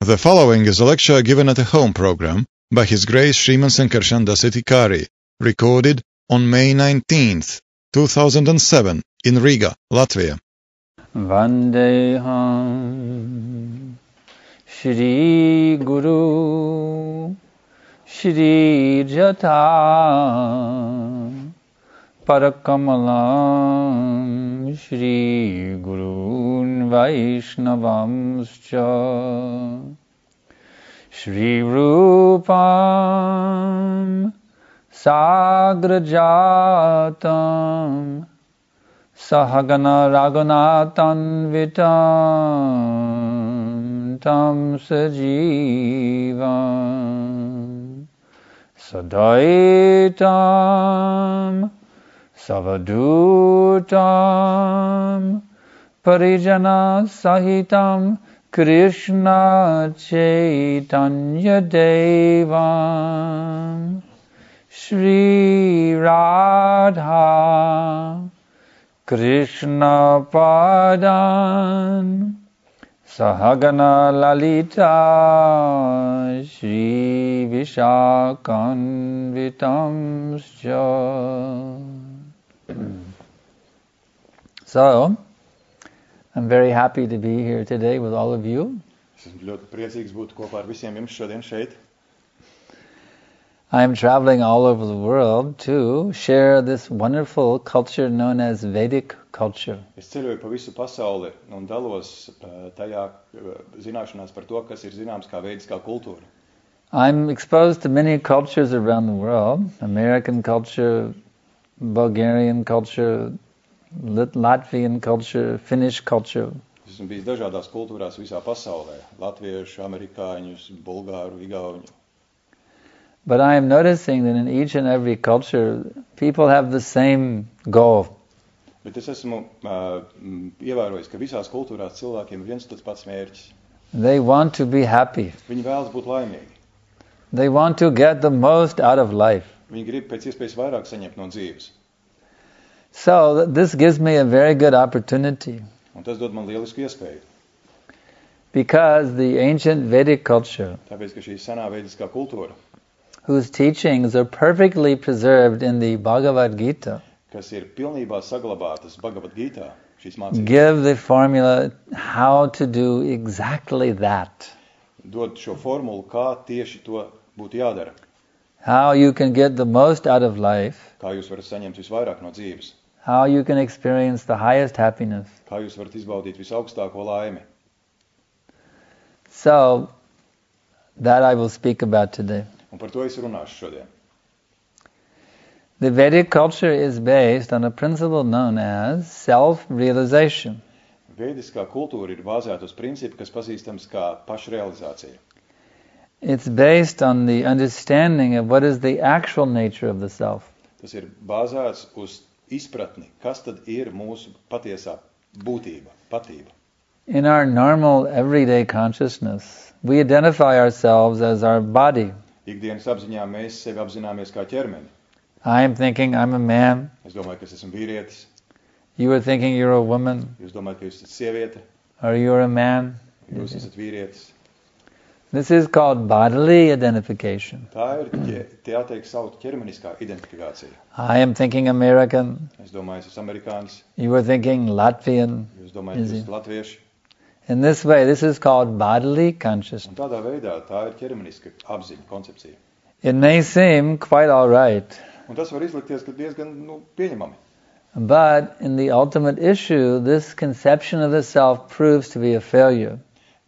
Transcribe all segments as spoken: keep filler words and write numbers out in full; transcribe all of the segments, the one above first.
The following is a lecture given at a home program by His Grace Sriman Sankarshan Dasatikari, recorded on May nineteenth, two thousand seven, in Riga, Latvia. Vandeham Shri Guru Shri Jata Parakamalam Shri Gurun Vaishnavamscha Shri Rupam Sagrajatam Sahagana Raghunathan Vitam Tam Sajivam Sadaitam Savadutam Parijana Sahitam Krishna Chaitanya Devam Shri Radha Krishna Padan Sahagana Lalita Shri Vishakanvitamscha. So, I'm very happy to be here today with all of you. I am traveling all over the world to share this wonderful culture known as Vedic culture. Es ceļoju pa visu pasauli un dalos tajā zināšanās par to, kas ir zināms kā vediskā kultūra. I'm exposed to many cultures around the world: American culture, Bulgarian culture, Latvian culture, Finnish culture. Esmu bijis dažādās kultūrās visā pasaulē: latviešu, amerikāņus, bulgāru, igauņu. But I am noticing that in each and every culture, people have the same goal. Bet es esmu uh, ievērojis, ka visās kultūrās cilvēkiem ir viens tāds pats mērķis. They want to be happy. Viņi vēlas būt laimīgi. They want to get the most out of life. Viņi grib pēc iespējas vairāk saņemt no dzīves. So this gives me a very good opportunity. Un tas dod man lielisku iespēju. Because the ancient Vedic culture, tāpēc, ka šī senā vediskā kultūra, whose teachings are perfectly preserved in the Bhagavad Gita, kas ir pilnībā saglabātas Bhagavad Gītā, šīs mācības, give the formula how to do exactly that. Dod šo formulu, kā tieši to būtu jādara. How you can get the most out of life. Kā jūs varat saņemt visvairāk no dzīves. How you can experience the highest happiness. Kā jūs varat izbaudīt visaugstāko laimi. So, that I will speak about today. Un par to es runāšu šodien. The Vedic culture is based on a principle known as self-realization. Vediskā kultūra ir bāzēta uz principu, kas pazīstams kā pašrealizācija. It's based on the understanding of what is the actual nature of the self. Tas ir bāzēts uz izpratni, kas tad ir mūsu patiesā būtība, patība. In our normal everyday consciousness, we identify ourselves as our body. Ikdienas apziņā mēs sevi apzināmies kā ķermeni. I am thinking I'm a man. Es domāju, ka es esmu vīrietis. You are thinking you're a woman. Jūs domājat, ka jūs esat sieviete. Or you're a man. Jūs esat vīrietis. This is called bodily identification. Tā ir, tie jāteikt, saukt ķermeniskā identifikācija. I am thinking American. Es domāju, es esmu amerikānis. You are thinking Latvian. Jūs domājat, ka jūs esat latvieši. In this way, this is called bodily consciousness. Un tādā veidā tā ir ķermeniska apziņa, koncepcija. It may seem quite all right. Un tas var izlikties, ka diezgan nu, pieņemami. But in the ultimate issue, this conception of the self proves to be a failure.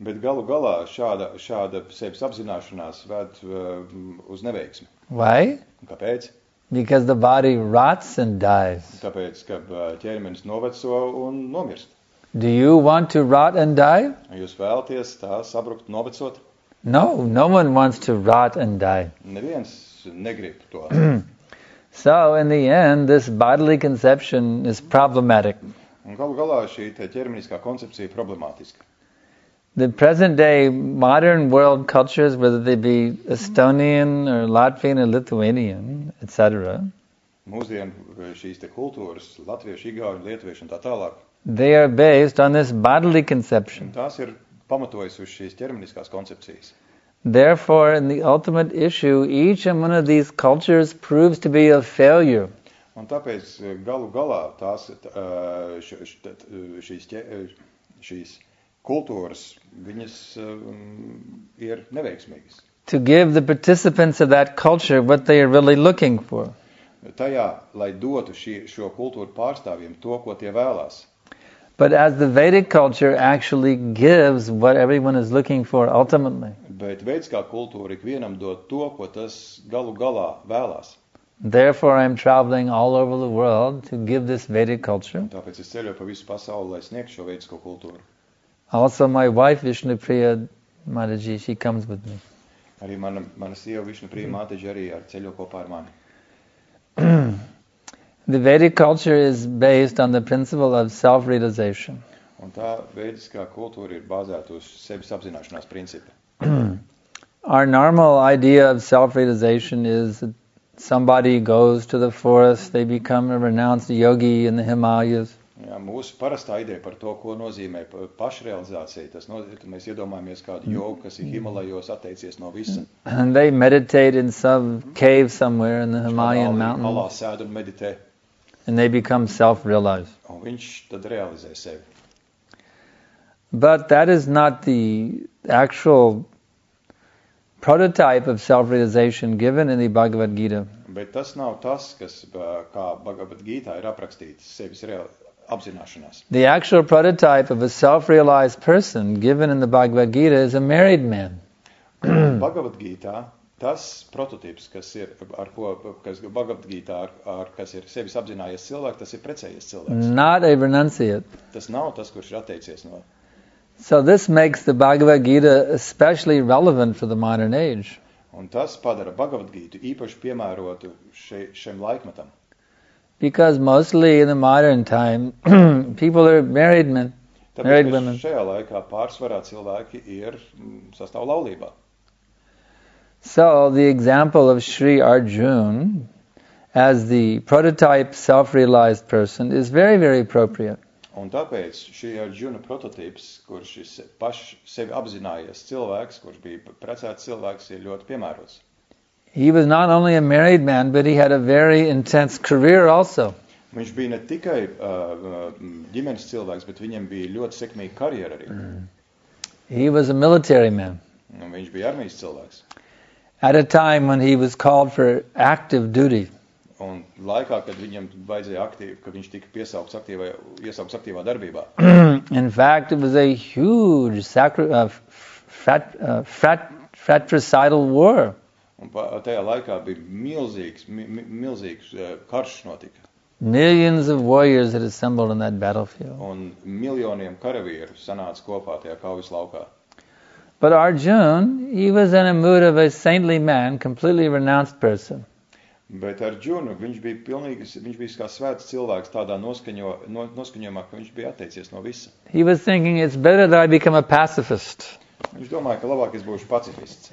Bet galu galā šāda, šāda sevis apzināšanās ved uh, uz neveiksmi. Why? Un kāpēc? Because the body rots and dies. Tāpēc, ka uh, ķermenis noveco un nomirst. Do you want to rot and die? Jūs vēlaties tā sabrukt, novecot? No, no one wants to rot and die. Neviens negrib to. So, in the end, this bodily conception is problematic. Un galu galā šī te ķermeniskā koncepcija ir problemātiska. The present day modern world cultures, whether they be Estonian or Latvian or Lithuanian, et cetera, Mūsdienu šīs te kultūras, latviešu, igauņu, lietuviešu un tā tālāk, they are based on this bodily conception. tās ir pamatojas uz šīs ķermeniskās koncepcijas. Therefore, in the ultimate issue, each and one of these cultures proves to be a failure. Un tāpēc galu galā tās, š, š, šīs, šīs kultūras, viņas ir neveiksmīgas. To give the participants of that culture what they are really looking for. Tajā, lai dotu šī, šo kultūru pārstāvjiem to, ko tie vēlās. But as the Vedic culture actually gives what everyone is looking for ultimately. Bet veidiskā kultūra ikvienam dod to, ko tas galu galā vēlās. Therefore, I'm traveling all over the world to give this Vedic culture. Tāpēc es ceļoju pa visu pasauli, lai sniegtu šo veidisko kultūru. Also, my wife Vishnupriya Mataji, she comes with me. Arī mana, mana sieva Vishnupriya Mataji arī ar ceļo kopā ar mani. The Vedic culture is based on the principle of self-realization. Un tā veidiskā kultūra ir bāzēta uz sevis apzināšanās principu. Our normal idea of self-realization is that somebody goes to the forest, they become a renounced yogi in the Himalayas. Jā, mūsu parastā ideja par to, ko nozīmē pašrealizācija, tas nozīmē, ka mēs iedomājamies kādu jogu, kas ir Himalajos atteicies no visa. And they meditate in some cave somewhere in the Himalayan mountains. Alā sēd un meditē. And they become self-realized. Un viņš tad realizē sevi. But that is not the actual prototype of self-realization given in the Bhagavad Gita. Bet tas nav tas, kas kā Bhagavad Gītā ir aprakstīts sevis real, apzināšanās. The actual prototype of a self-realized person given in the Bhagavad Gita is a married man. Bhagavad Gītā tas prototyps, kas ir ar ko kas Bhagavad Gītā ar, ar kas ir sevis apzinājies cilvēks, tas ir precējies cilvēks. Not a renunciate. Tas nav tas, kurš ir atteicies no. So this makes the Bhagavad Gita especially relevant for the modern age. Un tas padara Bhagavad Gītu īpaši piemērotu še, šim laikmetam. Because mostly in the modern time, people are married men, Tāpēc, married women. Šajā laikā pārsvarā cilvēki ir sastāv laulībā. So the example of Sri Arjuna as the prototype self-realized person is very, very appropriate. Un tāpēc šī Arjuna prototyps, kurš ir paši sevi apzinājies cilvēks, kurš bija precēts cilvēks, ir ļoti piemērots. He was not only a married man, but he had a very intense career also. Viņš bija ne tikai uh, ģimenes cilvēks, bet viņam bija ļoti sekmīga karjera arī. Mm. He was a military man. Un viņš bija armijas cilvēks. At a time when he was called for active duty. Un laikā, kad viņam vajadzēja aktīvi, kad viņš tika piesaukts aktīvā, iesaukts aktīvā darbībā. In fact, it was a huge sacri- uh, frat, uh, frat, fratricidal war. Un tajā laikā bija milzīgs, mi, milzīgs uh, karš notika. Millions of warriors had assembled on that battlefield. Un miljoniem karavīru sanāca kopā tajā kaujas laukā. But Arjuna, he was in a mood of a saintly man, completely renounced person. Bet Arjuna, viņš bija pilnīgi, viņš bija kā svēts cilvēks tādā noskaņo, no, noskaņojumā, ka viņš bija atteicies no visa. He was thinking, it's better that I become a pacifist. Viņš domāja, ka labāk es būšu pacifists.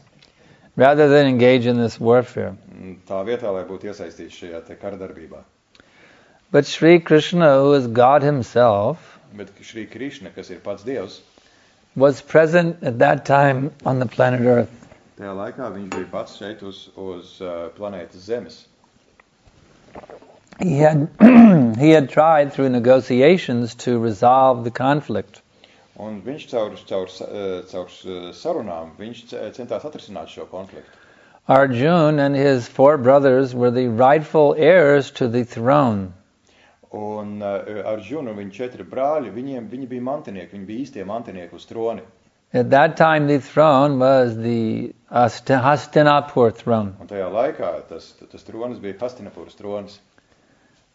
Rather than engage in this warfare. Tā vietā, lai būtu iesaistīts šajā te karadarbībā. But Sri Krishna, who is God himself, Bet Šri Krišna, kas ir pats Dievs, was present at that time on the planet Earth. tajā laikā viņš bija pats šeit uz, uz uh, planētas Zemes. He had he had tried through negotiations to resolve the conflict. Un viņš caur, caur, caur sarunām, viņš centās atrisināt šo konfliktu. Arjuna and his four brothers were the rightful heirs to the throne. Un uh, Arjuna un viņa četri brāļi, viņiem, viņi bija mantinieki, viņi bija īstie mantinieki uz troni. At that time, the throne was the Hastinapur throne. Un tajā laikā tas, tas tronis bija Hastinapuras tronis.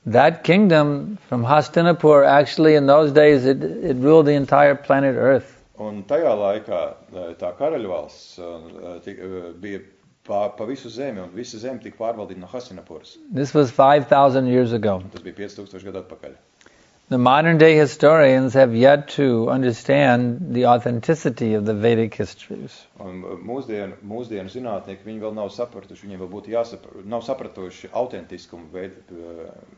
That kingdom from Hastinapur, actually in those days, it, it ruled the entire planet Earth. Un tajā laikā tā karaļvalsts uh, bija pa, pa visu zemi, un visa zemi tika pārvaldīta no Hastinapuras. This was five thousand years ago. Tas bija pieci tūkstoši gadu atpakaļ. The modern day historians have yet to understand the authenticity of the Vedic histories. Un mūsdienu, mūsdienu zinātnieki, viņi vēl nav sapratuši, viņiem vēl būtu jāsaprot, nav sapratuši autentiskumu veid,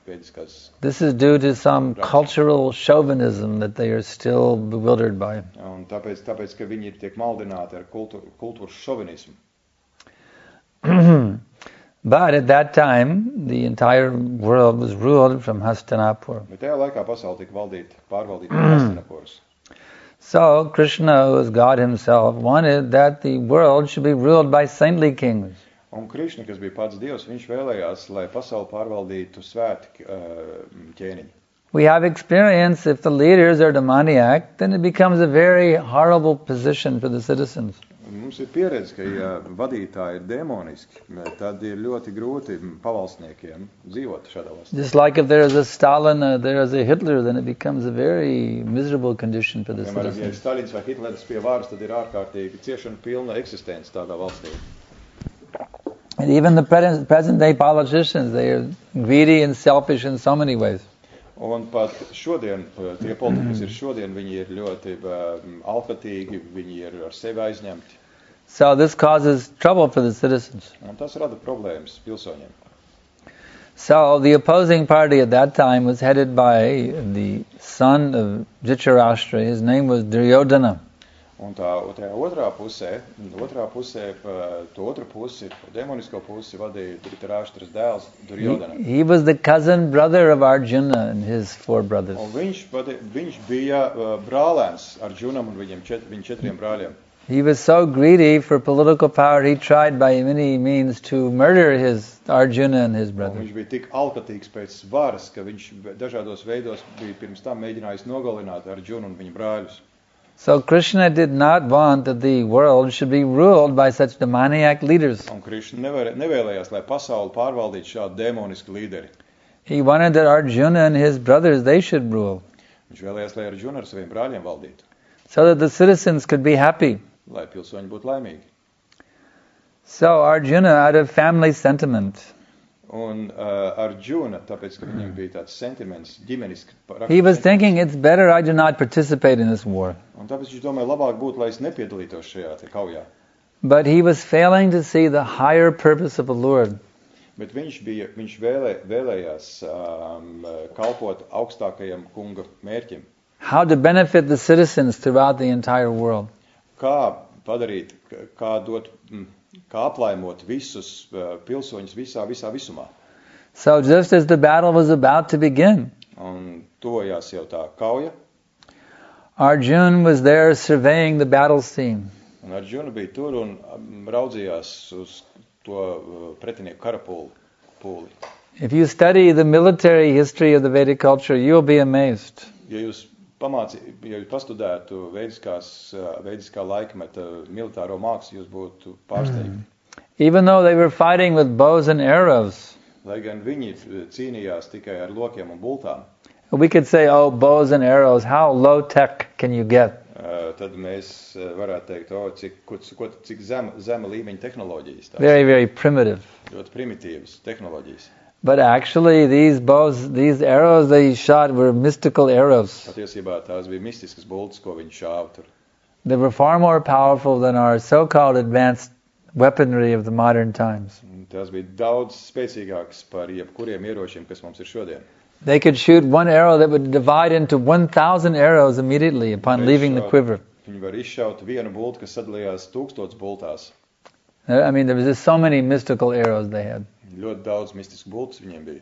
vediskās. This is due to some cultural chauvinism that they are still bewildered by. Un tāpēc, tāpēc, ka viņi tiek maldināti ar kultu, kultūras šovinismu. But at that time, the entire world was ruled from Hastinapur. Bet tajā laikā pasauli tika valdīta, pārvaldīta no Hastinapuras. So Krishna, who is God himself, wanted that the world should be ruled by saintly kings. Un Krišna, kas bija pats Dievs, viņš vēlējās, lai pasauli pārvaldītu svēti uh, ķēniņi. We have experience, if the leaders are demoniac, then it becomes a very horrible position for the citizens. Mums ir pieredze, ka ja vadītāji ir demoniski, tad ir ļoti grūti pavalsniekiem dzīvot šādā valstī. Just like if there is a Stalin, uh, there is a Hitler, then it becomes a very miserable condition for the Piemēram, ja ir citizens. Stalins vai Hitlers pie varas, tad ir ārkārtīgi ciešana pilna eksistence tādā valstī. And even the present, present day politicians, they are greedy and selfish in so many ways. Un pat šodien, tie politiķi, kas ir šodien, viņi ir ļoti um, alkatīgi, viņi ir ar sevi aizņemti. So this causes trouble for the citizens. Un tas rada problēmas pilsoņiem. So the opposing party at that time was headed by the son of Dhritarashtra. His name was Duryodhana. Un tā, tā otrā pusē, otrā pusē, to otru pusi, demonisko pusi vadīja Dhritarāštras dēls Duryodhana. He, he was the cousin brother of Arjuna and his four brothers. Un viņš, vadi, viņš bija uh, brālēns Arjunam un viņiem čet, viņa četriem brāļiem. He was so greedy for political power, he tried by many means to murder his Arjuna and his Un brothers. viņš bija tik alkatīgs pēc varas, ka viņš dažādos veidos bija pirms tam mēģinājis nogalināt Arjunu un viņa brāļus. So Krishna did not want that the world should be ruled by such demoniac leaders. Un Krišna nevar, nevēlējās, lai pasauli pārvaldītu šādu demonisku līderi. He wanted that Arjuna and his brothers, they should rule, Viņš vēlējās, lai Arjuna ar saviem brāļiem valdītu, so that the citizens could be happy. lai pilsoņi būtu laimīgi. So Arjuna, out of family sentiment, Un uh, Arjuna, tāpēc, ka viņam bija tāds sentiments, ģimenisks. he was thinking, it's better I do not participate in this war. Un tāpēc viņš domāja, labāk būtu, lai es nepiedalītos šajā te kaujā. But he was failing to see the higher purpose of the Lord. Bet viņš, bija, viņš vēlē, vēlējās um, kalpot augstākajam kunga mērķim. How to benefit the citizens throughout the entire world. Kā padarīt, kā dot, kā aplaimot visus uh, pilsoņus visā, visā visumā. So just as the battle was about to begin, Un tojās jau tā kauja, Arjuna was there surveying the battle scene. un Arjuna bija tur un um, raudzījās uz to uh, pretinieku karapūli. Pūli. If you study the military history of the Vedic culture, you'll be amazed. Ja jūs pamāci, ja jūs pastudētu veidiskās, uh, veidiskā laikmeta militāro mākslu, jūs būtu pārsteigti. Even though they were fighting with bows and arrows, Lai gan viņi cīnījās tikai ar lokiem un bultām, we could say, oh, bows and arrows, how low tech can you get? uh, tad mēs uh, varētu teikt, o, cik, ko, ko, cik zema, zema līmeņa tehnoloģijas, tās Very, very primitive. ļoti primitīvas tehnoloģijas. But actually, these bows, these arrows they shot were mystical arrows. Patiesībā tās bija mistiskas bultas, ko viņi šāva tur. They were far more powerful than our so-called advanced weaponry of the modern times. Un tās bija daudz spēcīgākas par jebkuriem ieročiem, kas mums ir šodien. They could shoot one arrow that would divide into one thousand arrows immediately upon leaving the quiver. Viņi var izšaut vienu bultu, kas sadalījās tūkstots bultās. I mean, there was just so many mystical arrows they had. Ļoti daudz mistisku bultas viņiem bija.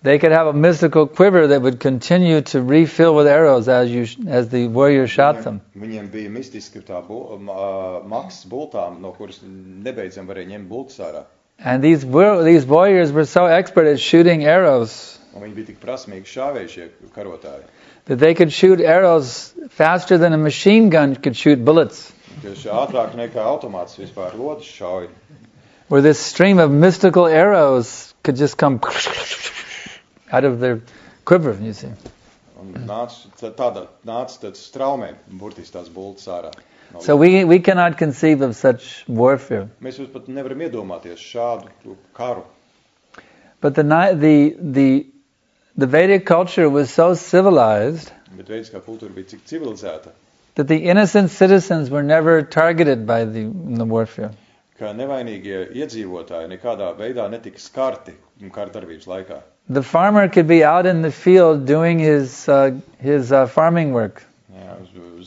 They could have a mystical quiver that would continue to refill with arrows as you as the warrior shot them. Viņiem bija mistiski tā bu, ma, maks bultām, no kuras nebeidzam varēja ņemt bultas ārā. And these these warriors were so expert at shooting arrows Un viņi bija tik prasmīgi šāvēji šie karotāji, that they could shoot arrows faster than a machine gun could shoot bullets. ka šī ātrāk nekā automāts vispār lodus šauj. Where this stream of mystical arrows could just come out of their quiver, you see. Un nāc, tāda, nāc tad straumē, burtiski tās bultas ārā. No So we we cannot conceive of such warfare. Mēs jūs pat nevaram iedomāties šādu karu. But the ni- the the the Vedic culture was so civilized Bet veidiskā kultūra bija cik civilizēta, that the innocent citizens were never targeted by the, the warfare. ka nevainīgie iedzīvotāji nekādā veidā netika skarti kārdarbības laikā. The farmer could be out in the field doing his uh, his uh, farming work. Jā,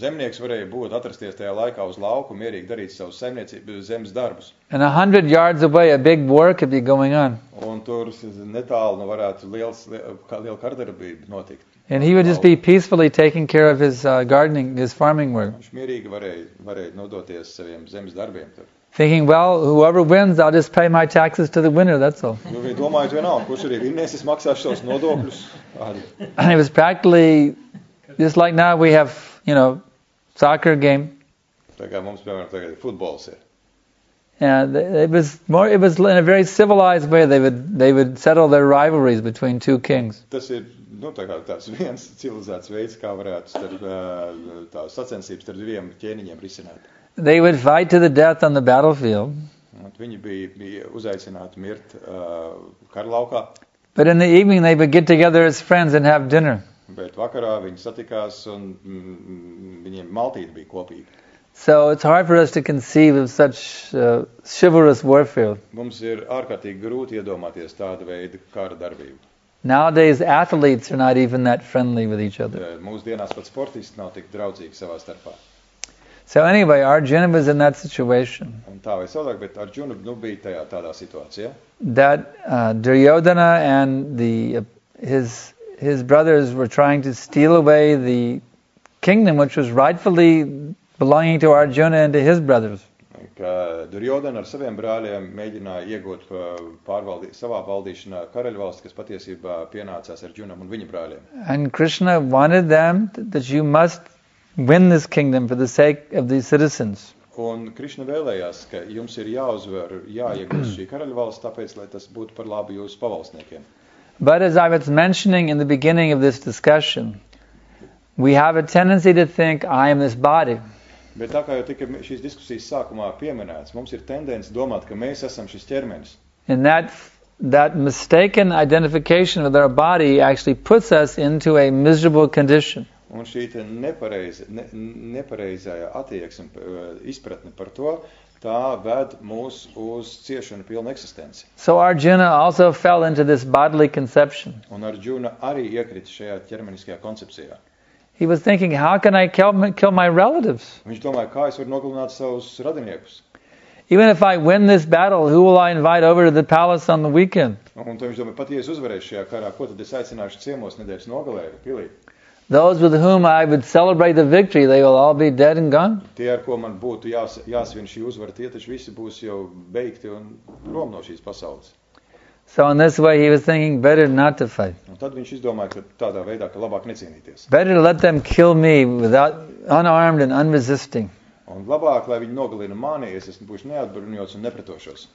zemnieks varēja būt atrasties tajā laikā uz lauku, mierīgi darīt savus zemniecības zemes darbus. And a hundred yards away, a big war could be going on. Un tur netālu nu varētu liels, kā liela kārdarbība notikt. And he would just be peacefully taking care of his uh, gardening, his farming work. Viņš mierīgi varēja, varēja nodoties saviem zemes darbiem tur. Thinking, well, whoever wins, I'll just pay my taxes to the winner, that's all. Nu, viņi domājot vienalga, kurš arī vinnēs, es maksāšu savus nodokļus. And it was practically, just like now we have, you know, soccer game. Tā kā mums, piemēram, tagad futbols ir. And it was more, it was in a very civilized way, they would, they would settle their rivalries between two kings. Tas ir, nu, tā kā tāds viens civilizēts veids, kā varētu starp, tā sacensības starp diviem ķēniņiem risināt. They would fight to the death on the battlefield. Un viņi bija, bija uzaicināti mirt uh, karlaukā, But in the evening they would get together as friends and have dinner. bet vakarā viņi satikās un mm, viņiem maltīte bija kopīga. So it's hard for us to conceive of such uh, chivalrous warfare. Mums ir ārkārtīgi grūti iedomāties tādu veidu kara darbību. Nowadays athletes are not even that friendly with each other. Uh, Mūsdienās pat sportisti nav tik draudzīgi savā starpā. So anyway, Arjuna was in that situation. Un tā vai savādāk, bet Arjuna nu, bija tajā tādā situācijā, That uh, Duryodhana and the uh, his his brothers were trying to steal away the kingdom which was rightfully belonging to Arjuna and to his brothers. ka Duryodhana ar saviem brāļiem mēģināja iegūt uh, pārvaldī, savā valdīšanā karaļvalsti, kas patiesībā pienācās Arjunam un viņa brāļiem. And Krishna wanted them th- that you must win this kingdom for the sake of the citizens. Un Krišna vēlējās, ka jums ir jāuzvar, jāiegūst šī karaļvalsts, tāpēc, lai tas būtu par labu jūsu pavalsniekiem. But as I was mentioning in the beginning of this discussion, we have a tendency to think, I am this body. Bet tā kā jau tika šīs diskusijas sākumā pieminēts, mums ir tendence domāt, ka mēs esam šis ķermenis. And that that mistaken identification with our body actually puts us into a miserable condition. Un šī te nepareiza, ne, nepareizā attieksme, izpratne par to, tā ved mūs uz ciešanu pilnu eksistenci. So Arjuna also fell into this bodily conception. Un Arjuna arī iekrita šajā ķermeniskajā koncepcijā. He was thinking, how can I kill my, kill my relatives? Viņš domāja, kā es varu nogalināt savus radiniekus. Even if I win this battle, who will I invite over to the palace on the weekend? Un tad viņš domāja, pat ja es uzvarēšu šajā karā, ko tad es aicināšu ciemos nedēļas nogalē, pilī? Those with whom I would celebrate the victory, they will all be dead and gone. Tie, ar ko man būtu jās, jāsvin šī uzvara, tie taču visi būs jau beigti un prom no šīs pasaules. So in this way he was thinking, better not to fight. Un tad viņš izdomāja, ka tādā veidā, ka labāk necīnīties. Better to let them kill me without unarmed and unresisting. Un labāk, lai viņi nogalina mani, es esmu būšu neatbruņots un nepretošos.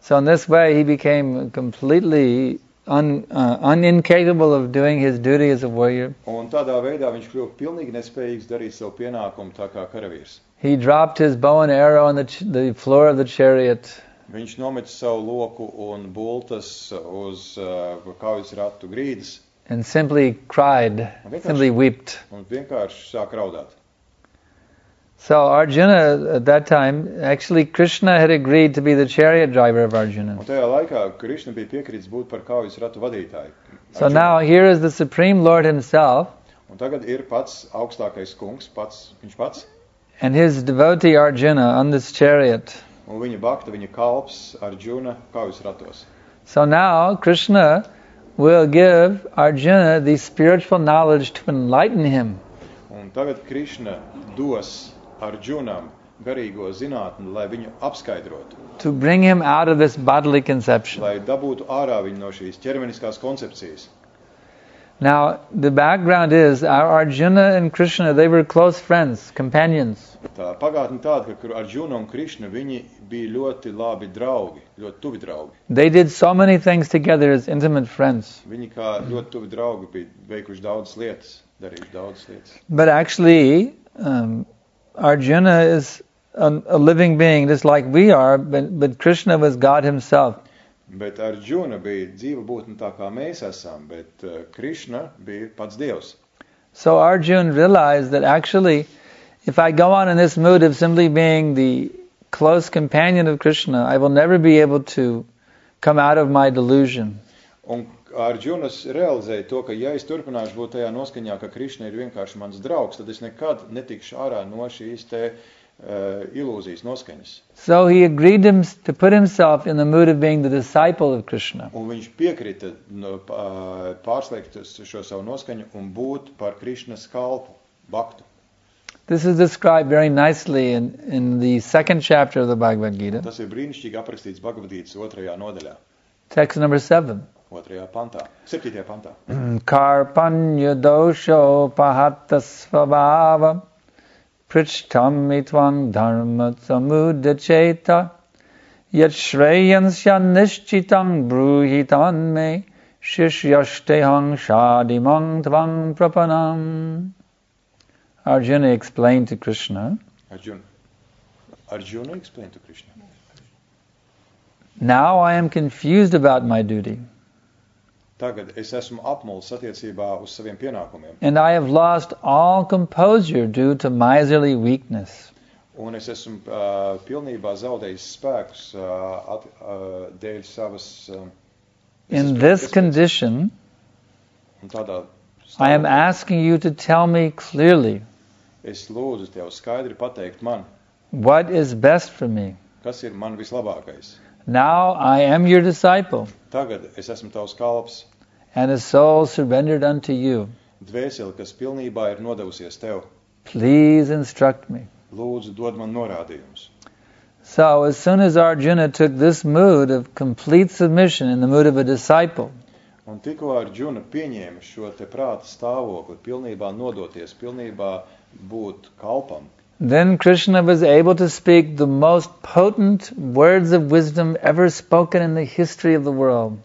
So in this way he became completely un, uh, unincapable of doing his duty as a warrior. Un tādā veidā viņš kļuva pilnīgi nespējīgs darīt savu pienākumu tā kā karavīrs. He dropped his bow and arrow on the, ch- the floor of the chariot. Viņš nometa savu loku un bultas uz uh, kaujas ratu grīdas And simply cried, simply wept. un vienkārši sāk raudāt. So Arjuna at that time, actually Krishna had agreed to be the chariot driver of Arjuna. Un tajā laikā Krišna bija piekritis būt par kaujas ratu vadītāju. So now here is the Supreme Lord himself Un tagad ir pats augstākais kungs, pats, viņš pats, and his devotee Arjuna on this chariot. un viņa bakta, viņa kalps Arjuna kaujas ratos. So now Krishna will give Arjuna the spiritual knowledge to enlighten him. Un tagad Krišna dos Arjunam garīgo zinātni, lai viņu apskaidrotu, To bring him out of this bodily conception. lai dabūtu ārā viņu no šīs ķermeniskās koncepcijas. Now, the background is our Arjuna and Krishna, they were close friends, companions. Tā pagātne tāda, ka Arjuna un Krišna, viņi bija ļoti labi draugi, ļoti tuvi draugi. They did so many things together as intimate friends. Viņi kā ļoti tuvi draugi bija veikuši daudzas lietas, darījuši daudzas lietas. But actually, um, Arjuna is a, a living being just like we are, but, but Krishna was God himself. Bet Arjuna bija dzīva būtne tā kā mēs esam, bet uh, Krishna bija pats Dievs. So Arjuna realized that actually, if I go on in this mood of simply being the close companion of Krishna, I will never be able to come out of my delusion. Un Arjunas realizēja to, ka ja es turpināšu būt tajā noskaņā, ka Krishna ir vienkārši mans draugs, tad es nekad netikšu ārā no šīs te uh, ilūzijas noskaņas. So he agreed him to put himself in the mood of being the disciple of Krishna. Un viņš piekrita no, uh, pārslēgt šo savu noskaņu un būt par Krishnas kalpu, bhaktu. This is described very nicely in, in the second chapter of the Bhagavad Gita. Tas ir brīnišķīgi aprakstīts Bhagavad-gītas otrajā nodaļā. Text number seven. Otrajā pantā, septītajā pantā. Karpanya dosho pahatasvabhava prichtam mitvang dharma samudacheta yat shreyansya nishchitang bruhitan me shishyashtehang shadimang tvang prapanam. Arjuna explained to Krishna. Arjuna. Arjuna explained to Krishna. Now I am confused about my duty. Tagad es esmu apmuls attiecībā uz saviem pienākumiem. And I have lost all composure due to miserly weakness. Un es esmu uh, pilnībā zaudējis spēkus uh, at, uh, dēļ savas... Uh, In this condition, un tādā I am asking you to tell me clearly es lūdzu tev skaidri pateikt man, what is best for me. kas ir man vislabākais. Now I am your disciple, Tagad es esmu tavs kalps, and a soul surrendered unto you. dvēseli, kas pilnībā ir nodevusies tev. Please instruct me. Lūdzu, dod man norādījumus. So as soon as Arjuna took this mood of complete submission in the mood of a disciple, Un tikko Arjuna pieņēma šo te prāta stāvokli, pilnībā nodoties, pilnībā būt kalpam, then Krishna was able to speak the most potent words of wisdom ever spoken in the history of the world.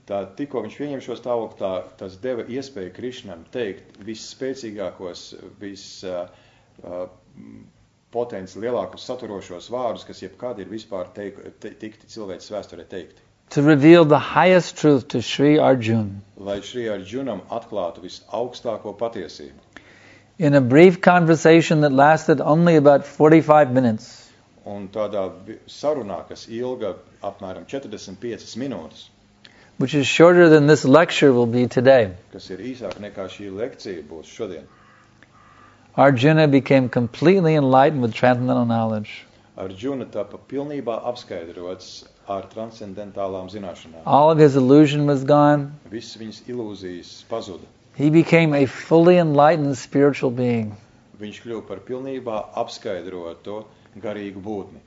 tā tikko viņš pieņēma šo stāvokli, tā, tas deva iespēju Krišnam teikt visspēcīgākos, vis uh, uh, potenci lielākos saturošos vārdus, kas jebkad ir vispār teik, te, tikti cilvēks vēsturē teikti. To reveal the highest truth to Sri Arjuna. Lai Sri Arjunam atklātu visaugstāko patiesību. In a brief conversation that lasted only about forty-five minutes, Un tādā sarunā, kas ilga apmēram četrdesmit piecas minūtes, which is shorter than this lecture will be today, kas ir īsāk nekā šī lekcija būs šodien, Arjuna became completely enlightened with transcendental knowledge. Arjuna tapa pilnībā apskaidrots ar transcendentālām zināšanām. All of his illusion was gone. Viss viņas ilūzijas pazuda. He became a fully enlightened spiritual being. Viņš kļuva par pilnībā apskaidrotu garīgu būtni.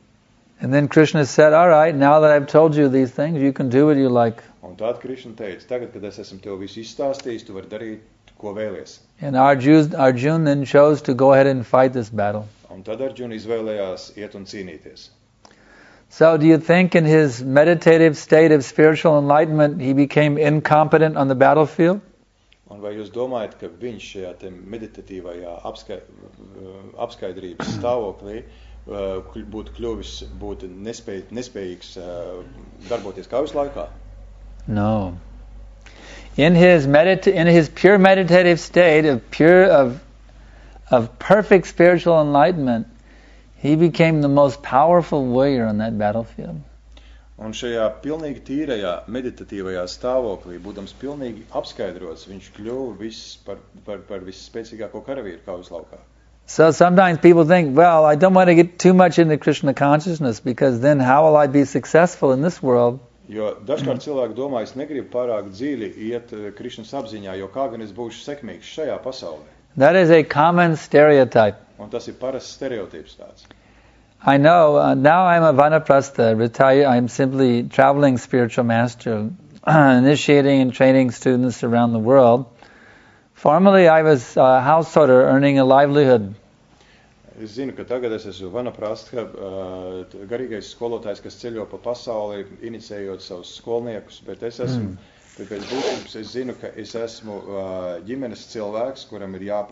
And then Krishna said, all right, now that I've told you these things, you can do what you like. Un tad Krišna teica, tagad, kad es esmu tev visu izstāstījis, tu vari darīt, ko vēlies. And Arjuna, Arjuna then chose to go ahead and fight this battle. Un tad Arjuna izvēlējās iet un cīnīties. So do you think in his meditative state of spiritual enlightenment he became incompetent on the battlefield? Un vai jūs domājat, ka viņš šajā te meditatīvajā apskai, apskaidrības stāvoklī būtu kļuvis, būtu nespēj, nespējīgs darboties kaujas laikā? No. In his medita- in his pure meditative state of pure of of perfect spiritual enlightenment, he became the most powerful warrior on that battlefield. Un šajā pilnīgi tīrajā meditatīvajā stāvoklī, būdams pilnīgi apskaidrots, viņš kļuva viss par, par, par visspēcīgāko karavīru kaujas laukā. So sometimes people think, well, I don't want to get too much into Krishna consciousness because then how will I be successful in this world? Jo dažkārt cilvēki domā, es negribu pārāk dziļi iet Krišnas apziņā, jo kā gan es būšu sekmīgs šajā pasaulē. That is a common stereotype. Un tas ir parasts stereotips tāds. I know, uh, now I'm a Vanaprastha, retired, I'm simply traveling spiritual master, initiating and training students around the world. Formerly I was a householder earning a livelihood. Es zinu, ka tagad es esmu Vanaprastha, garīgais skolotājs, kas ceļo pa pasauli, inicējot savus skolniekus, bet es esmu, mm. pēc būtības es zinu, ka es esmu ģimenes cilvēks, kuram ir jā,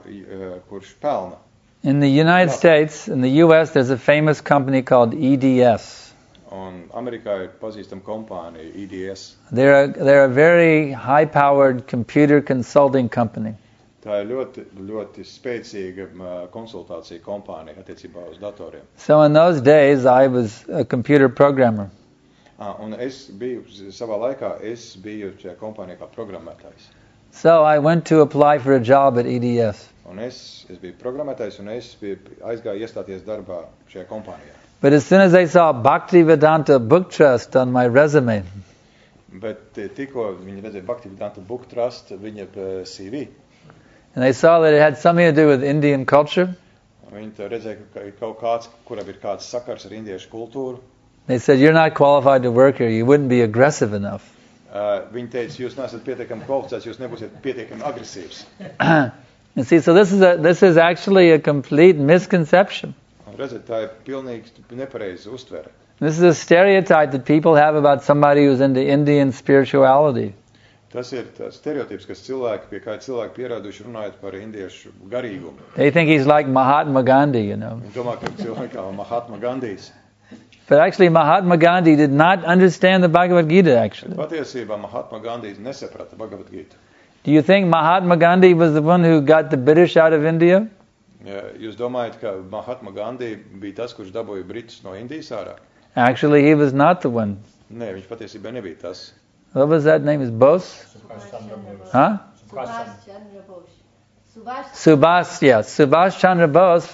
kurš pelna. In the United States, in the U S, there's a famous company called E D S. Un Amerikā ir pazīstama kompānija E D S. They're a, they're a very high-powered computer consulting company. Tā ir ļoti, ļoti spēcīga uh, konsultācija kompānija attiecībā uz datoriem. So in those days, I was a computer programmer. Ah, un es biju, savā laikā, es biju šajā kompānijā kā programmētājs. So I went to apply for a job at E D S. Un es, es biju programmētājs un es biju aizgāju iestāties darbā šajā kompānijā. But as soon as I saw Bhaktivedanta Book Trust on my resume, Bet tikko viņi redzēja Bhaktivedanta Book Trust, viņa uh, C V, and they saw that it had something to do with Indian culture, viņi tā redzēja, ka ir kaut kāds, kuram ir kāds sakars ar indiešu kultūru. they said, you're not qualified to work here, you wouldn't be aggressive enough. Uh, viņi teica, jūs neesat pietiekami kvalificēts, jūs nebūsiet pietiekami agresīvs. And see, so this is a, this is actually a complete misconception. Un redziet, tā ir pilnīgi nepareiza uztvere. This is a stereotype that people have about somebody who's into Indian spirituality. Tas ir tas stereotips, kas cilvēki, pie kā cilvēki pierāduši runājot par indiešu garīgumu. They think he's like Mahatma Gandhi, you know. Viņi domā, ka cilvēki kā Mahatma Gandijs. But actually Mahatma Gandhi did not understand the Bhagavad Gita, actually. Patiesībā Mahatma Gandijs nesaprata Bhagavad Gītu. Do you think Mahatma Gandhi was the one who got the British out of India? Ja, jūs domājat, ka Mahatma Gandhi bija tas, kurš dabūja Britus no Indijas ārā? Actually, he was not the one. Nē, viņš patiesībā nebija tas. What was that name? Is Bose? Huh? Subhash Chandra Bose. Subhash Subhash, yes. Subhash Chandra Bose.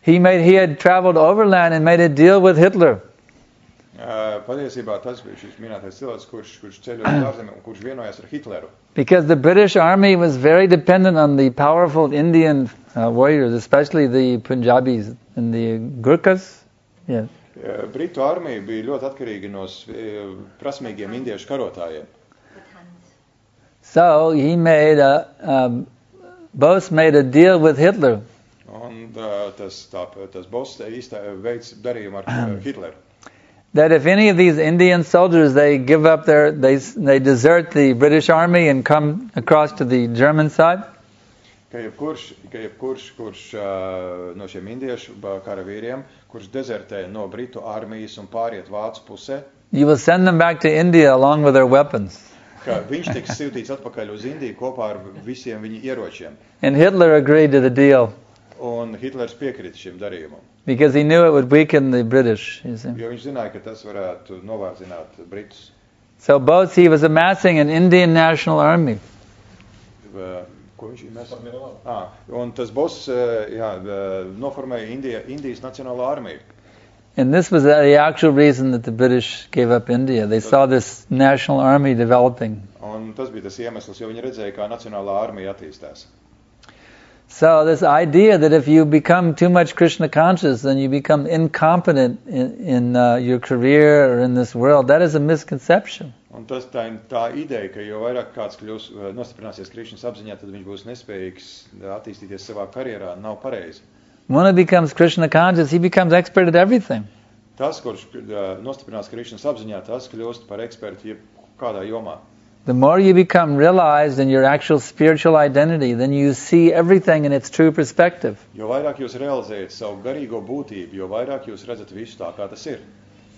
He made. He had traveled overland and made a deal with Hitler. Uh, patiesībā tas bija šis minētais cilvēks, kurš, kurš ceļoja uz ārzemēm un kurš vienojās ar Hitleru. Because the British army was very dependent on the powerful Indian uh, warriors, especially the Punjabis and the Gurkhas. Yeah. Uh, Britu armija bija ļoti atkarīga no uh, prasmīgiem indiešu karotājiem. Pathans. So he made a. Um, Bose made a deal with Hitler. Un uh, tas, tā, tas boss īstā veids darījumu ar uh, Hitleru. That if any of these Indian soldiers, they give up their, they they desert the British army and come across to the German side, Ka jebkurš, ka jebkurš kurš uh, no šiem indiešu karavīriem, kurš dezertē no Britu armijas un pāriet Vācu pusē, you will send them back to India along with their weapons. ka viņš tiks sūtīts atpakaļ uz Indiju kopā ar visiem viņa ieročiem. And Hitler agreed to the deal Un Hitlers piekrita šim darījumam, because he knew it would weaken the British. You see. jo viņš zināja, ka tas varētu novārdzināt Britus. So Bose, he was amassing an Indian national army. Uh, Ko viņš mēs? Ah, un tas boss uh, jā, uh, noformēja Indija, Indijas nacionālo armiju. And this was the actual reason that the British gave up India. They saw this national army developing. Un tas bija tas iemesls, jo viņi redzēja, kā nacionālā armija attīstās. So this idea that if you become too much Krishna conscious, then you become incompetent in, in uh, your career or in this world, that is a misconception. Un tas tā, tā ideja, ka jo vairāk kāds kļūs, nostiprināsies Krišnas apziņā, tad viņš būs nespējīgs attīstīties savā karjerā, nav pareizi. When he becomes Krishna conscious, he becomes expert at everything. Tas, kurš nostiprinās Krišnas apziņā, tas kļūst par ekspertu jebkādā jomā. The more you become realized in your actual spiritual identity, then you see everything in its true perspective. Jo vairāk jūs realizējat savu garīgo būtību, jo vairāk jūs redzat visu tā, kā tas ir.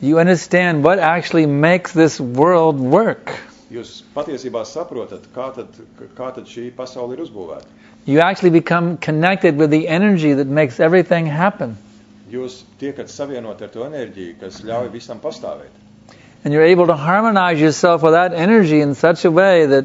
You understand what actually makes this world work. Jūs patiesībā saprotat, kā tad, kā tad šī pasaule ir uzbūvēta. You actually become connected with the energy that makes everything happen. Jūs tiekat savienot ar to enerģiju, kas ļauj visam pastāvēt. And you're able to harmonize yourself with that energy in such a way that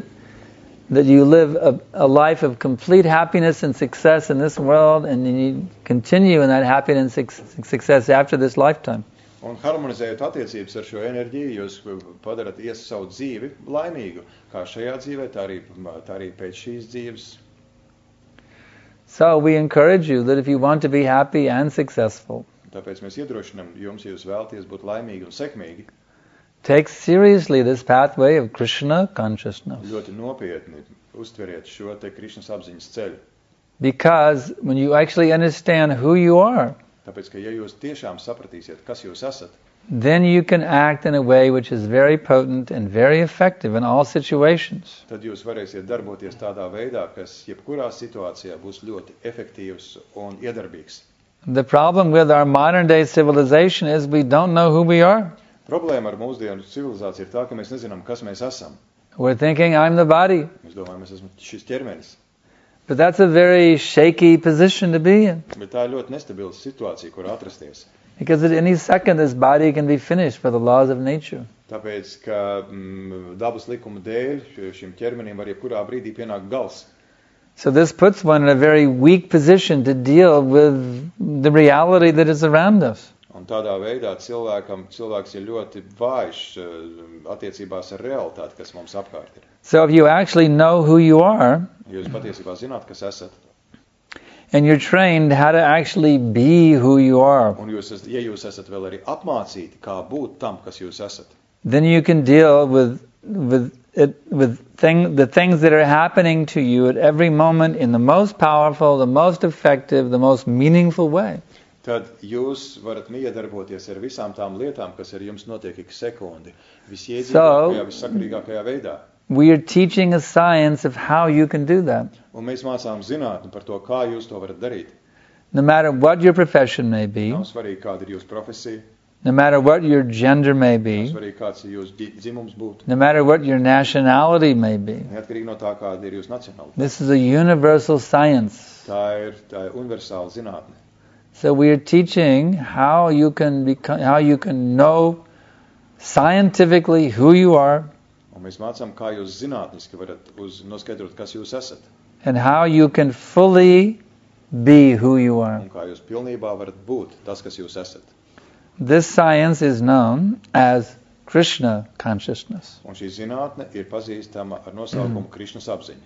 that you live a, a life of complete happiness and success in this world, and you continue in that happiness and success after this lifetime. Un harmonizējot attiecības ar šo enerģiju, jūs padarat ies savu dzīvi laimīgu, kā šajā dzīvē, tā arī, tā arī pēc šīs dzīves. So we encourage you that if you want to be happy and successful, Tāpēc mēs iedrošinām jums, ja jūs vēlaties būt laimīgi un sekmīgi, take seriously this pathway of Krishna consciousness. ļoti nopietni uztveriet šo te Krišnas apziņas ceļu. Because when you actually understand who you are, Tāpēc, ka ja jūs tiešām sapratīsiet, kas jūs esat, then you can act in a way which is very potent and very effective in all situations. tad jūs varēsiet darboties tādā veidā, kas jebkurā situācijā būs ļoti efektīvs un iedarbīgs. The problem with our modern day civilization is we don't know who we are. Problēma ar mūsdienu civilizāciju ir tā, ka mēs nezinām, kas mēs esam. We're thinking, I'm the body. Mēs domājam, mēs esam šis ķermenis. But that's a very shaky position to be in. Bet tā ir ļoti nestabila situācija, kur atrasties. Because at any second this body can be finished for the laws of nature. Tāpēc, ka mm, dabas likuma dēļ šim ķermenim var jebkurā brīdī pienākt gals. So this puts one in a very weak position to deal with the reality that is around us. Un tādā veidā cilvēkam, cilvēks ir ļoti vājš uh, attiecībās ar realitāti, kas mums apkārt ir. So if you actually know who you are, Ja jūs patiesībā zināt, kas esat, and you're trained how to actually be who you are, un jūs esat, ja jūs esat vēl arī apmācīti, kā būt tam, kas jūs esat, then you can deal with with it with thing the things that are happening to you at every moment in the most powerful, the most effective, the most meaningful way. tad jūs varat miedarboties ar visām tām lietām, kas ar jums notiek ik sekundi, visiedzīgākajā, So- vissakarīgākajā veidā. We are teaching a science of how you can do that. Un mēs mācām zinātni par to, kā jūs to varat darīt. No matter what your profession may be, Nav svarīgi, kāda ir jūsu profesija, no matter what your gender may nav be, svarīgi, kāds ir jūsu dzi- dzimums būtu, no matter what your nationality may be. neatkarīgi no tā, kāda ir jūsu nacionalitāte. This is a universal science. Tā ir, tā ir universāla zinātne. So we are teaching how you can become, how you can know scientifically who you are, Un mēs mācām, kā jūs zinātniski varat uz, noskaidrot, kas jūs esat, and how you can fully be who you are. un kā jūs pilnībā varat būt tas, kas jūs esat. This science is known as Krishna consciousness. Un šī zinātne ir pazīstama ar nosaukumu Krišnas apziņa.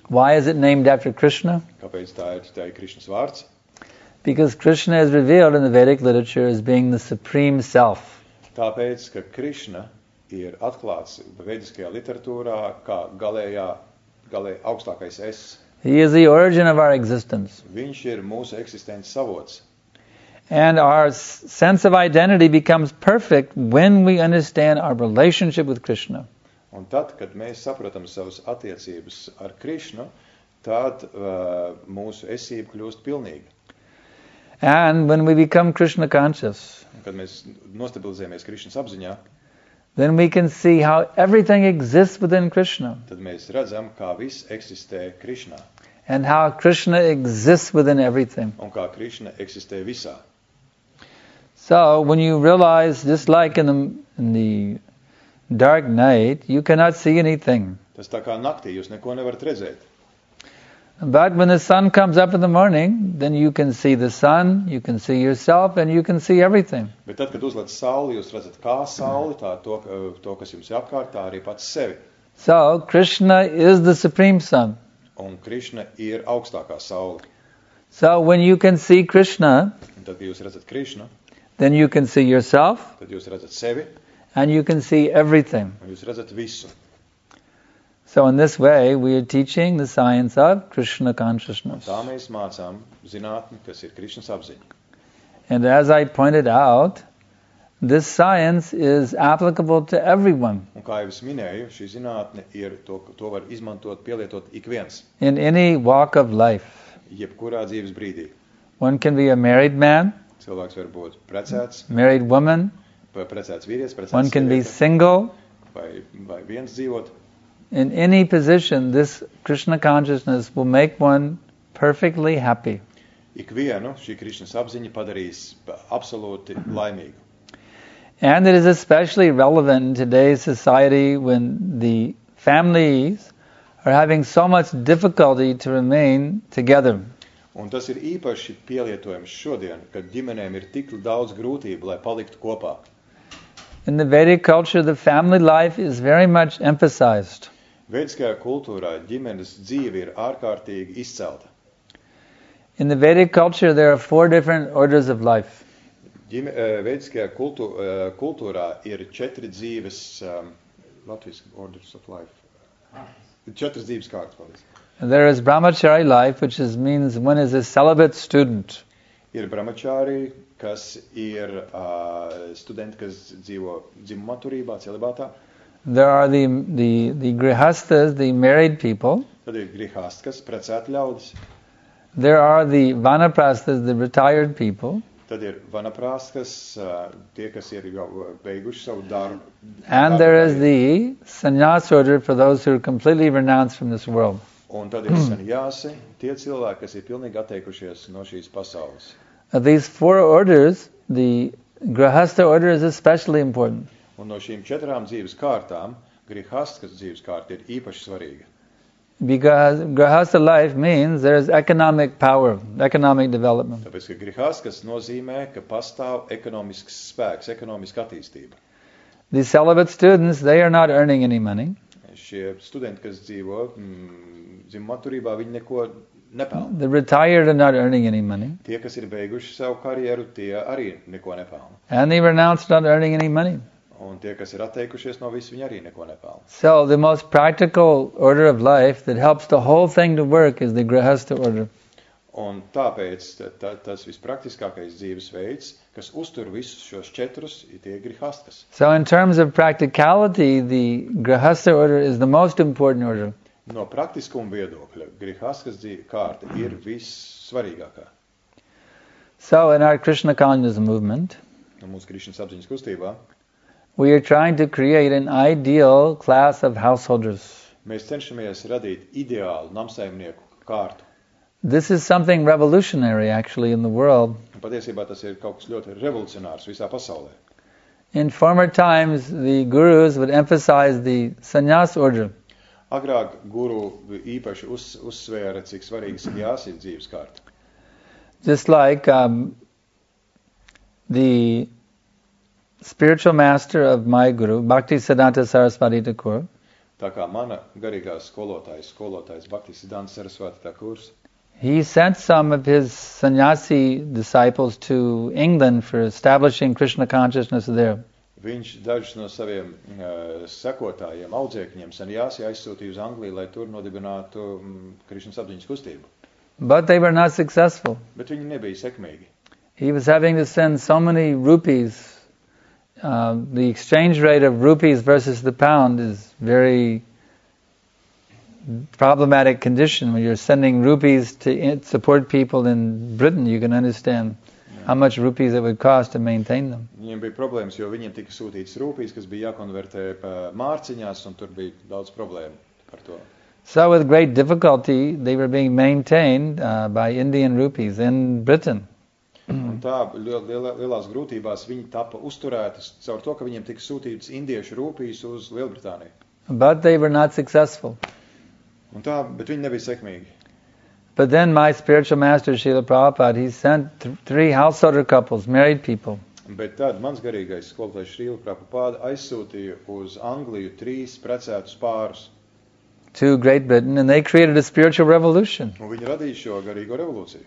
Why is it named after Krishna? Kāpēc tā ir, tā ir Krišnas vārds? Because Krishna is revealed in the Vedic literature as being the supreme self. Tāpēc, ka Krišna ir atklāts vediskajā literatūrā kā galējā, galēji augstākais es. He is the origin of our existence. Viņš ir mūsu eksistences savots. And our s- sense of identity becomes perfect when we understand our relationship with Krishna. Un tad, kad mēs saprotam savas attiecības ar Krišnu, tad uh, mūsu esība kļūst pilnīga. And when we become Krishna conscious, Un, kad mēs nostabilizējamies Krišnas apziņā, then we can see how everything exists within Krishna tad mēs redzam, kā viss eksistē Krišnā and how Krishna exists within everything. un kā Krišna eksistē visā. So when you realize, just like in the, in the dark night, you cannot see anything. Tas tā kā naktī, jūs neko nevarat redzēt. But when the sun comes up in the morning, then you can see the sun, you can see yourself, and you can see everything. Bet tad, kad uzlec sauli, jūs redzat kā sauli, tā to, to kas jums ir apkārt, tā arī pats sevi. So Krishna is the supreme sun. Un Krišna ir augstākā saule. So when you can see Krishna, Un tad, kad jūs redzat Krišnu, then you can see yourself, tad jūs redzat sevi and you can see everything. un jūs redzat visu. So in this way, we are teaching the science of Krishna consciousness. Tā mēs mācām zinātni, kas ir Krišnas apziņa. And as I pointed out, this science is applicable to everyone Un kā jau es minēju, šī zinātne ir, to, to var izmantot, pielietot ik viens, in any walk of life. jebkurā dzīves brīdī. One can be a married man, Cilvēks var būt precēts, married woman, vai precēts vīrietis, precēts one can be sieviete, single. vai, vai viens dzīvot. In any position, this Krishna consciousness will make one perfectly happy. Ikvienu šī Krišnas apziņa padarīs absolūti laimīgu. And it is especially relevant in today's society when the families are having so much difficulty to remain together. Un tas ir īpaši pielietojams šodien, kad ģimenēm ir tik daudz grūtību, lai paliktu kopā. In the Vedic culture, the family life is very much emphasized. Vediskajā kultūrā ģimenes dzīve ir ārkārtīgi izcelta. In the Vedic culture, there are four different orders of life. Ģime, eh, Vediskajā kultū, eh, kultūrā ir četri dzīves, um, Latvijas orders of life. Četras dzīves kārtas, paldies. There is brahmachari life, which is, means one is a celibate student. Ir brahmachāri, kas ir uh, studenti, kas dzīvo dzimuma turībā, celibātā. There are the, the, the grihastas, the married people. Tad ir grihāstas, precēti ļaudis. There are the vanaprasthas, the retired people. Tad ir vanaprāstas, uh, tie, kas ir jau beiguši savu darbu. And there is the sannyas order for those who are completely renounced from this world. Un tad ir sanjāsi, tie cilvēki, kas ir pilnīgi atteikušies no šīs pasaules. Of these four orders, the grihastha order is especially important. Un no šīm četrām dzīves kārtām, grihastas dzīves kārta ir īpaši svarīga. Because grihastha life means there is economic power, economic development. Tāpēc, ka grihastas nozīmē, ka pastāv ekonomisks spēks, ekonomiska attīstība. The celibate students, they are not earning any money. Šie studenti, kas dzīvo mm, dzimuma atturībā, viņi neko nepelna. The retired are not earning any money. Tie, kas ir beiguši savu karjeru, tie arī neko nepelna. And the renounced are not earning any money. Un tie, kas ir atteikušies no visu, viņi arī neko nepelna. So the most practical order of life that helps the whole thing to work is the grihastha order. Un tāpēc ta, ta, tas vispraktiskākais dzīves veids, kas uztur visus šos četrus, ir tie grihastas. So in terms of practicality, the grihastha order is the most important order. No praktiskuma viedokļa, grihastas dzīve kārta ir vissvarīgākā. So in our Krishna consciousness movement, No mūsu Krišņas apziņas kustībā we are trying to create an ideal class of householders. mēs cenšamies radīt ideālu namsaimnieku kārtu. This is something revolutionary actually in the world. Un patiesībā tas ir kaut kas ļoti revolucionārs visā pasaulē. In former times, the gurus would emphasize the sannyas order. Agrāk guru īpaši uz, uzsvēra, cik svarīgs ir jāsīt dzīves kārta. Just like um, the spiritual master of my guru, Bhakti Siddhanta Saraswati Thakur, Tā kā mana garīgā skolotājs, skolotājs Bhakti Siddhanta Saraswati Thakurs, he sent some of his sannyasi disciples to England for establishing Krishna consciousness there. viņš dažus no saviem uh, sekotājiem, audzēkņiem, sanjāsi aizsūtīja uz Angliju, lai tur nodibinātu um, Krišņas apziņas kustību. But they were not successful. Bet viņi nebija sekmīgi. He was having to send so many rupees. Uh, the exchange rate of rupees versus the pound is very problematic condition. When you're sending rupees to in- support people in Britain, you can understand how much rupees it would cost to maintain them. Viņiem bija problēmas, jo viņiem tika sūtīts rūpīs, kas bija jākonvertē pa mārciņās, un tur bija daudz problēmu par to. So with great difficulty, they were being maintained uh, by Indian rupees in Britain. Un tā liel, liel, lielās grūtībās viņi tapa uzturētas caur to, ka viņiem tika sūtīts indiešu rūpīs uz Lielbritāniju. But they were not successful. Un tā, bet viņi nebija sekmīgi. But then my spiritual master, Srila Prabhupada, he sent th- three householder couples, married people. Bet tad mans garīgais skolotājs Srila Prabhupada aizsūtīja uz Angliju trīs precētus pārus. To Great Britain, and they created a spiritual revolution. Un viņi radīja šo garīgo revolūciju.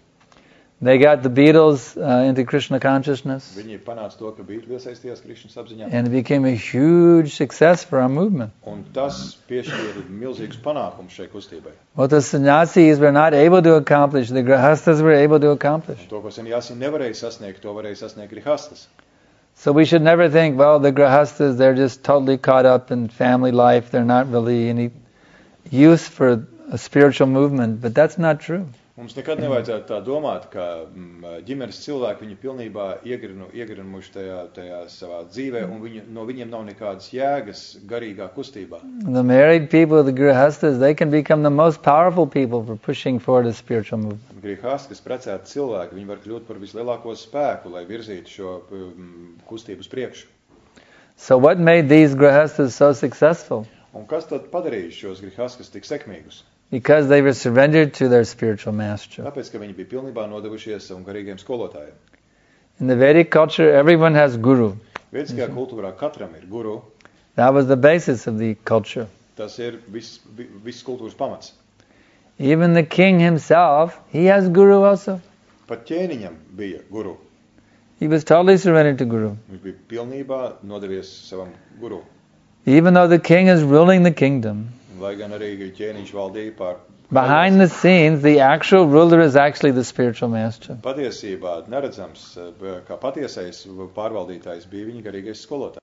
They got the Beatles uh, into Krishna consciousness, Viņi panāca to, ka Beatles iesaistījās Krišņas apziņā. and it became a huge success for our movement. Un tas piešķīra milzīgus panākumus šai kustībai. What the sannyasis were not able to accomplish, the grihastas were able to accomplish. Un to, ko sanjāsi nevarēja sasniegt, to varēja sasniegt grihastas. So we should never think, well, the grihastas, they're just totally caught up in family life, they're not really any use for a spiritual movement, but that's not true. Mums nekad nevajadzētu tā domāt, ka mm, ģimenes cilvēki viņu pilnībā iegrinu, iegrinuši tajā, tajā savā dzīvē, un viņu, no viņiem nav nekādas jēgas garīgā kustībā. The married people, the grihastas, they can become the most powerful people for pushing forward a spiritual movement. Grihas, kas precēti cilvēki, viņi var kļūt par vislielāko spēku, lai virzītu šo mm, kustību uz priekšu. So what made these grihastas so successful? Un kas tad padarīja šos grihaskas tik sekmīgus? Because they were surrendered to their spiritual master. Tāpēc, ka viņi bija pilnībā nodevušies savam garīgiem skolotājiem. In the Vedic culture, everyone has guru. Vediskajā kultūrā katram ir guru. That was the basis of the culture. Tas ir viss, vi- viss kultūras pamats. Even the king himself, he has guru also. Pat ķēniņam bija guru. He was totally surrendered to guru. Viņš bija pilnībā nodevies savam guru. Even though the king is ruling the kingdom, Lai gan arī ķēniņš valdīja pār. behind the scenes, the actual ruler is actually the spiritual master. Patiesībā neredzams, kā patiesais pārvaldītājs bija viņa garīgais skolotājs.